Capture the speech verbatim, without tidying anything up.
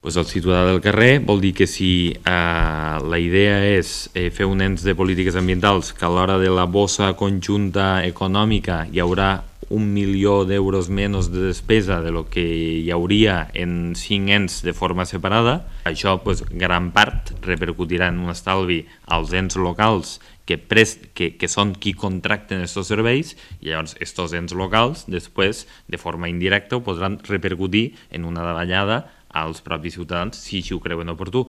Pues el ciutadà del carrer vol dir que si eh, la idea és eh, fer un ens de polítiques ambientals que a l'hora de la bossa conjunta econòmica hi haurà un milió d'euros menys de despesa de lo que hi hauria en cinc ens de forma separada, això pues, gran part repercutirà en un estalvi als ens locals que, prest, que, que són qui contracten aquests serveis, i llavors aquests ens locals després de forma indirecta ho podran repercutir en una davallada als propis ciutadans si així ho creuen oportú.